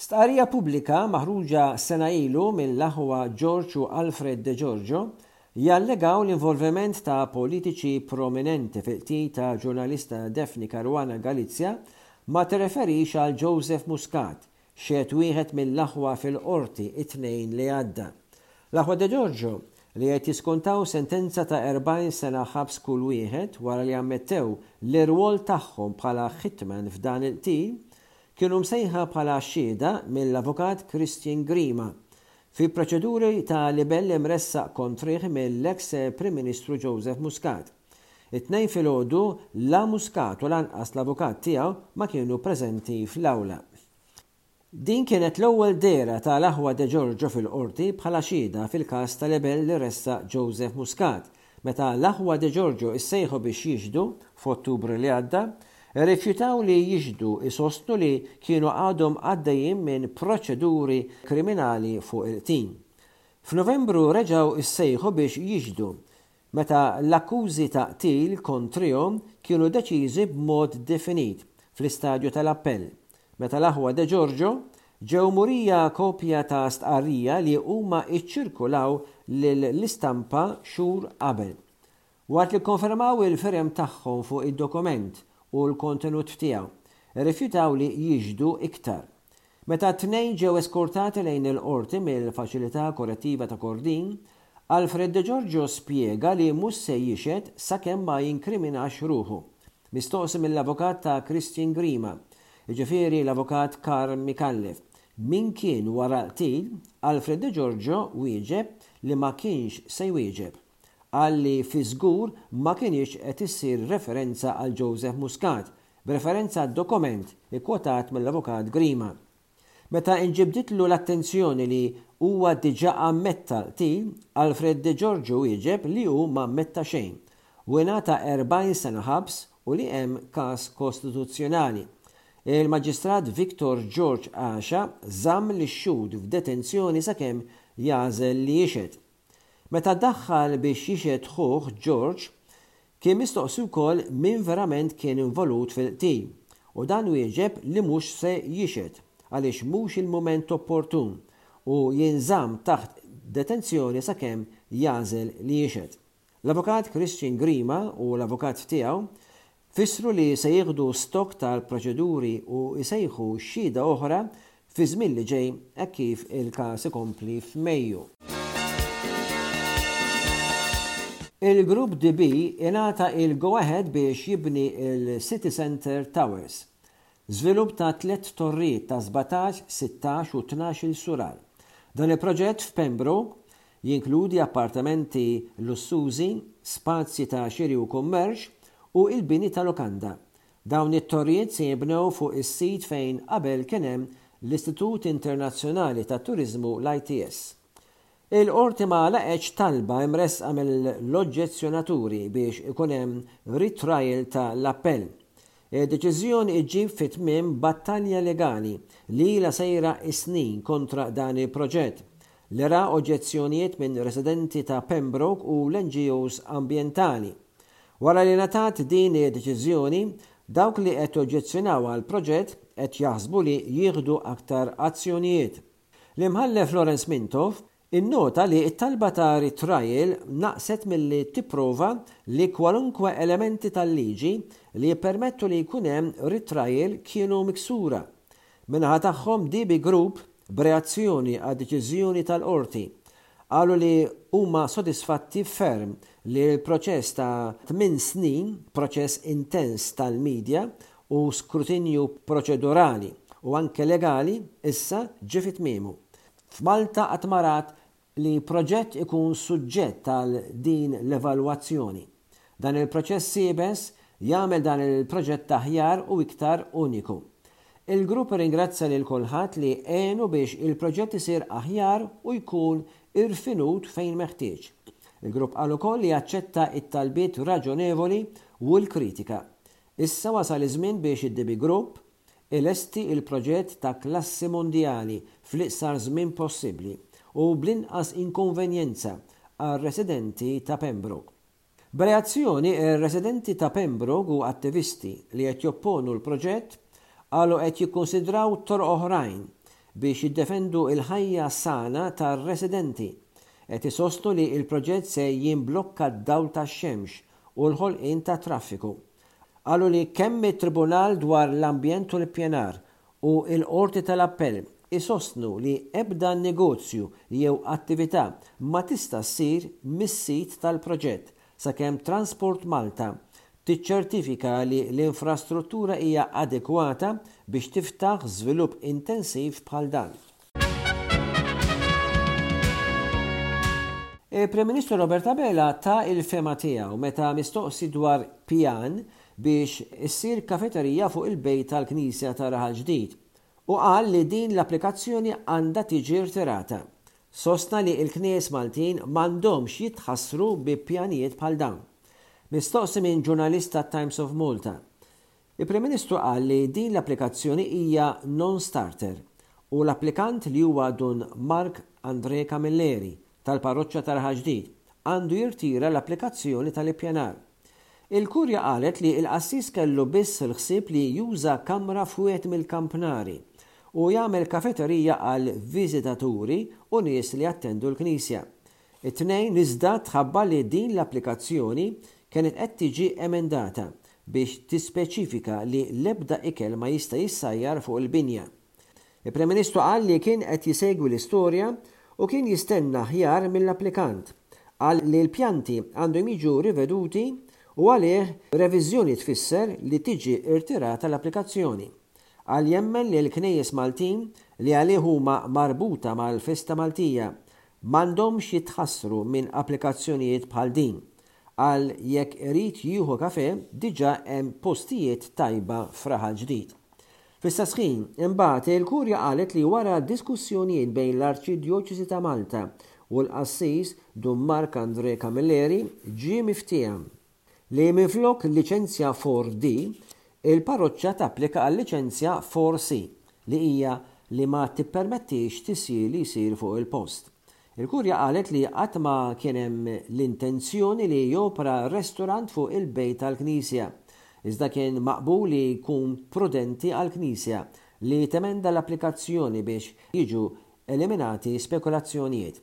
Stqarrija pubblika maħruġa sena ilu mill-aħwa George u Alfred De Giorgio jallegaw l-involviment ta' politiċi prominenti fil-qtil ta' ġurnalista Daphne Caruana Galizia ma tirreferix għal Joseph Muscat, xehed wieħed mill-aħwa fil-Qorti t-Tnejn li għadda. L-aħwa De Giorgio, li qed jiskontaw sentenza ta' 40 sena ħabs kull wieħed wara li ammettew l-irwol tagħhom bħala hitman f'dan il-qtil, kienu msejħa bħala xhieda mill-Avukat Christian Grima fi proċeduri ta' libell imressaq kontrih mill-eks Prim Ministru Joseph Muscat. It-Tnejn filgħodu la Muscat u lanqas l-avukat tiegħu ma kienu preżenti fl-awla. Din kienet l-ewwel dehra ta' l-aħwa De Giorgio fil-Qorti bħala xhieda fil-każ ta' libell li ressaq Joseph Muscat. Meta l-aħwa De Giorgio issejħu biex jixhdu f'Ottubru li għadda, irrifjutaw li jixhdu isostnu li kienu għadhom għaddejjin minn proċeduri kriminali fuq il-qtil. F'Novembru reġgħu issejħu biex jixhdu meta l-akkużi ta' qtil kontrihom kienu deċiżi b'mod definit fl-istadju tal-appell, meta l-aħwa De Giorgio ġew murija kopja ta' stqarrija li huma ċċirkulaw lill-istampa xhur qabel. Waqt li kkonfermaw il-firem tagħhom fuq id-dokument u l-kontenut tiegħu, irrifjutaw li jixhdu iktar. Meta t-tnejn ġew eskortati lejn il-Qorti mill-Faċilità Korrettiva ta' Kordin, Alfred De Giorgio spjega li mhux se jixhed sakemm ma jinkriminax ruħu. Mistoqsi mill-avukat ta' Christian Grima, jiġifieri l-Avukat Karl Micallef, min kien wara l-qtil, Alfred De Giorgio wieġeb li ma kienx se jwieġeb. Qal li fi żgur ma kinitx qed issir referenza għal Joseph Muscat, b'referenza għad-dokument ikkwotat mill-Avukat Grima. Meta inġibditlu l-attenzjoni li huwa diġà ammetta l-qtil, Alfred De Giorgio wieġeb li hu m'ammetta xejn u ingħata 40 sena ħabs u li hemm każ kostituzzjonali. Il-Maġistrat Victor George Asha żamm lix-xhud f'detenzjoni sakemm jagħżel li jixhed. Meta daħħal biex jixhed ħuh George, kien mistoqsi wkoll min verament kien involut fil-qtil u dan wieġeb li mhux se jixhed għaliex mhux il-mument opportun u jinżamm taħt detenzjoni sakemm jagħżel li jixhed. L-Avukat Christian Grima u l-avukat tiegħu fissru li se jieħdu stock tal-proċeduri u jsejħu xhieda oħra fiż-żmien li ġej hekk kif il-każ ikompli f'Mejju. Il-Grupp DB ingħata il-go ahead biex jibni l-City Centre Towers. Żvilupp ta' tlett torrijiet ta' 17, 16 u 12-il sular. Dan il-proġett f'Pembroke Jinkludi appartamenti lussużi, spazji ta' xiri u kummerċ, u l-bini ta' lukanda. Dawn it-torrijiet se jinbnew fuq is-sit fejn qabel kien hemm l-Istitut Internazzjonali tat-Turiżmu l-ITS. Il-Qorti ma laqgħetx talba imressqa mill-oġġezzjonaturi biex ikun hemm retrial ta' l-appell. Id-deċiżjoni ġġib fi tmiem battalja legali li ilha sejra s-snin kontra dan il-proġett, li ra oġġezzjonijiet minn residenti ta' Pembroke u l-NGOs ambjentali. Wara li ngħatat din id-deċiżjoni, dawk li qed joġġezzjonaw għall-proġett qed jaħsbu li jieħdu aktar azzjonijiet. L-Imħallef Lawrence Mintoff innota li t-talba ta' retrial naqset milli tipprova li kwalunkwe elementi tal-liġi li jippermettu li jkun hemm retrial kienu miksura. Min-naħa tagħhom DB Group B'reazzjoni għad-deċiżjoni tal-Qorti, qalu li huma sodisfatti ferm li l-proċess ta' tminn snin, proċess intens tal-media u skrutinju proċedurali u anke legali, issa ġie fi tmiemu. F'Malta qatt ma rat li proġett ikun suġġett għal din l-evalwazzjoni. Dan il-proċess iebes jagħmel dan il-proġett aħjar u iktar uniku. Il-grupp irringrazzja lil kulħadd li għenu biex il-proġett isir aħjar u jkun irfinut fejn meħtieġ. Il-grupp qal ukoll li jaċċetta t-talbiet raġonevoli u l-kritika. Issa wasal iż-żmien biex id-DB Group ilesti l-proġett ta' klassi mondjali fl-iqsar żmien possibbli u bl-inqas inkonvenjenza għar-residenti ta' Pembroke. B'reazzjoni, ir-residenti ta' Pembroke u attivisti li qed jopponu l-proġett qalu qed jikkunsidraw toroq oħrajn biex jiddefendu l-ħajja sana tar-residenti. Qed isostnu li l-proġett se jimblokka d-dawl tax-xemx u l-ħolqien ta' traffiku. Qalu li kemm it-Tribunal dwar l-Ambjent u l-Ippjanar u l-Qorti tal-Appell isostnu li ebda negozju jew attività ma tista' ssir mis-sit tal-proġett sakemm Transport Malta tiċċertifika li l-infrastruttura hija adekwata biex tiftaħ żvilupp intensiv bħal dan. Il-Prim Ministru Robert Abela ta l-fehma tiegħu meta mistoqsi dwar pjan biex issir kafeterija fuq il-bejt tal-Knisja ta' Raħal Ġdid u qal li din l-applikazzjoni għandha tiġi rtirata. Sostna li l-knejjes Maltin m'għandhomx jitħassru bi pjanijiet bħal dawn. Mistoqsi minn ġurnalist tat-Times of Malta, il-Prim Ministru qal li din l-applikazzjoni hija non-starter u l-applikant li huwa Dun Mark André Camilleri tal-Parroċċa ta' Raħal Ġdid għandu jirtira l-applikazzjoni tal-ippjanar. Il-Kurja qalet li l-qassis kellu biss il-ħsieb li juża kamra f'wieħed mill-kampnari u jagħmel kafeterija għal viżitaturi u nies li jattendu l-knisja. It-Tnejn iżda tħabbar li din l-applikazzjoni kienet qed tiġi emendata biex tispeċifika li l-ebda ikel ma jista' jissajjar fuq il-binja. Il-Prim Ministru qal li kien qed jisegwi l-istorja u kien jistenna aħjar mill-applikant. Qal li l-pjanti għandhom jiġu riveduti u għalih reviżjoni tfisser li tiġi rtirata l-applikazzjoni. Qal jemmen li l-knejjes Maltin li għalih huma marbuta mal-festa Maltija m'għandhomx jitħassru minn applikazzjonijiet bħal din. Qal jekk irid jieħu kafè diġà hemm postijiet tajba f'Raħal Ġdid. Fl-istess ħin, imbagħad, il-Kurja qalet li wara diskussjonijiet bejn l-Arċidjoċesi ta' Malta u l-qassis Dun Marc André Camilleri ġie miftiehem li minflok liċenzja 4D, il-parroċċa tapplika għal liċenzja 4C li hija li ma tippermettix tisjir li jsir fuq il-post. Il-Kurja qalet li qatt ma kien hemm l-intenzjoni li jopera restorant fuq il-bejt tal-knisja, iżda kien maqbul li jkun prudenti għall-knisja li temenda l-applikazzjoni biex jiġu eliminati spekulazzjonijiet.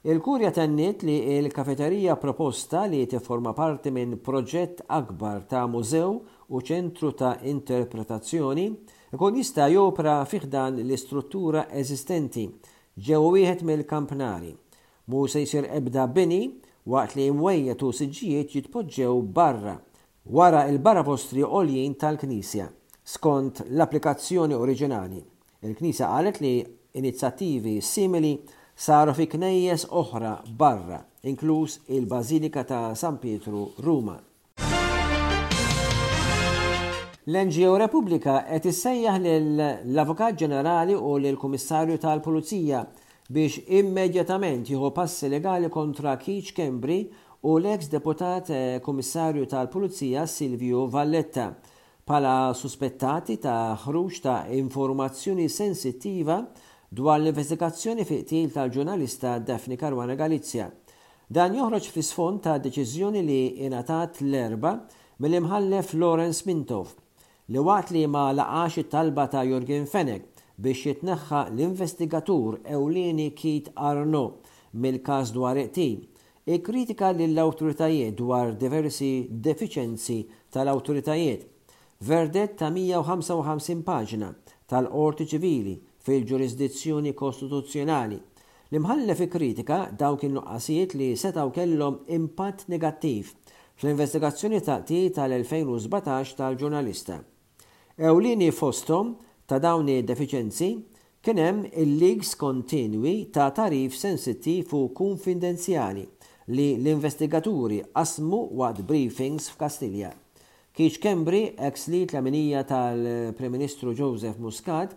Il-Kurja tenniet li l-kafeterija proposta li tifforma parti minn proġett akbar ta' mużew u ċentru ta' interpretazzjoni jkun jista' jopera fi ħdan l-istruttura eżistenti Ġewwa wieħed mill-kampnari. Mhu se jsir ebda bini waqt li imwejjed u siġġijiet jitpoġġew barra, wara l-baravostri għoljin tal-knisja, skont l-applikazzjoni oriġinali. Il-knisja qalet li inizjattivi simili saru fi knejjes oħra barra, inkluż il-Bażilika ta' San Pietru, Ruma. L-NGO Repubblika qed issejjaħ lill-Avukat Ġenerali u lill-Kummissarju tal-Pulizija biex immedjatament jieħu passi legali kontra Keith Schembri u l-eks Deputat Kummissarju tal-Pulizija Silvio Valletta bħala suspettati ta' ħruġ ta' informazzjoni sensittiva dwar l-investigazzjoni fi qtil tal-ġurnalista Daphne Caruana Galizia. Dan joħroġ fl-isfond ta' deċiżjoni li ingħatat l-Erbgħa mill-Imħallef Lawrence Mintoff, li waqt li ma laqax it-talba ta' Yorgen Fenech biex jitneħħa l-investigatur ewlieni Keith Arnaud mill-każ dwar il-qtil, ikkritika lill-awtoritajiet dwar diversi defiċenzi tal-awtoritajiet. Verdett ta' 155 paġna tal-Qorti Ċivili fil-ġurisdizzjoni kostituzzjonali L-Imħallef ikkritika dawk in-nuqqasijiet li setgħu kellhom impatt negattiv fl-investigazzjoni ta' qtil tal-2017 tal-ġurnalista. Ewlieni fosthom ta' dawn id-defiċenzi kien hemm il-leaks kontinwi ta' tagħrif sensittiv u kunfidenzjali li l-investigaturi qasmu waqt briefings f'Kastilja. Keith Schembri, eks lead leminija tal-Prim Ministru Joseph Muscat,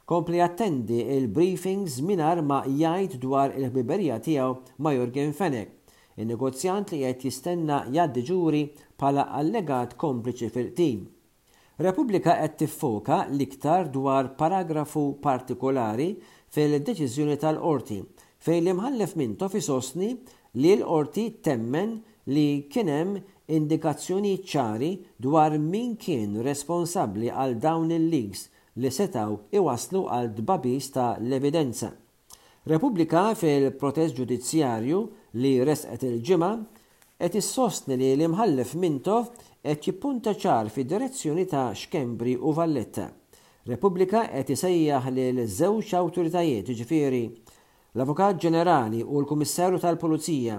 kompla jattendi l-briefings mingħajr ma jgħid dwar il-ħbiberija tiegħu ma' Yorgen Fenech, in-negozjant li qed jistenna jgħaddi ġuri bħala allegat kompliċi fil-qtil. Repubblika qed tiffoka l-iktar dwar paragrafu partikolari fil-deċiżjoni tal-Qorti fejn l-Imħallef Mintoff isostni li l-Qorti temmen li kien hemm indikazzjonijiet ċari dwar min kien responsabbli għal dawn il-leaks li setgħu iwasslu għal tbagħbis ta' l-evidenza. Repubblika fil-protest ġudizzjarju li ressqet il-Ġimgħa qed issostni li l-Imħallef Mintoff qed jippunta ċar fid-direzzjoni ta' Schembri u Valletta. Repubblika qed isejjaħ lil żewġ awtoritajiet, jiġifieri l-Avukat Ġenerali u l-Kummissarju tal-Pulizija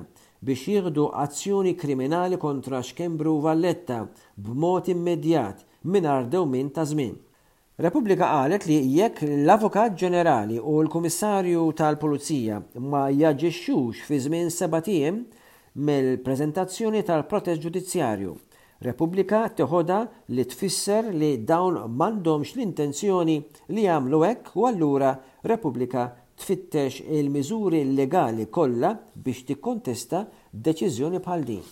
biex jieħdu azzjoni kriminali kontra Schembri u Valletta b'mod immedjat mingħajr dewmien ta' żmien. Repubblika qalet li jekk l-Avukat Ġenerali u l-Kummissarju tal-Pulizija ma jaġixxux fi żmien sebat ijiem mill-preżentazzjoni tal-protest ġudizzjarju, Repubblika teħodha li tfisser li dawn m'għandhomx l-intenzjoni li jagħmlu hekk u allura Repubblika tfittex il-miżuri legali kollha biex tikkontesta deċiżjoni bħal din.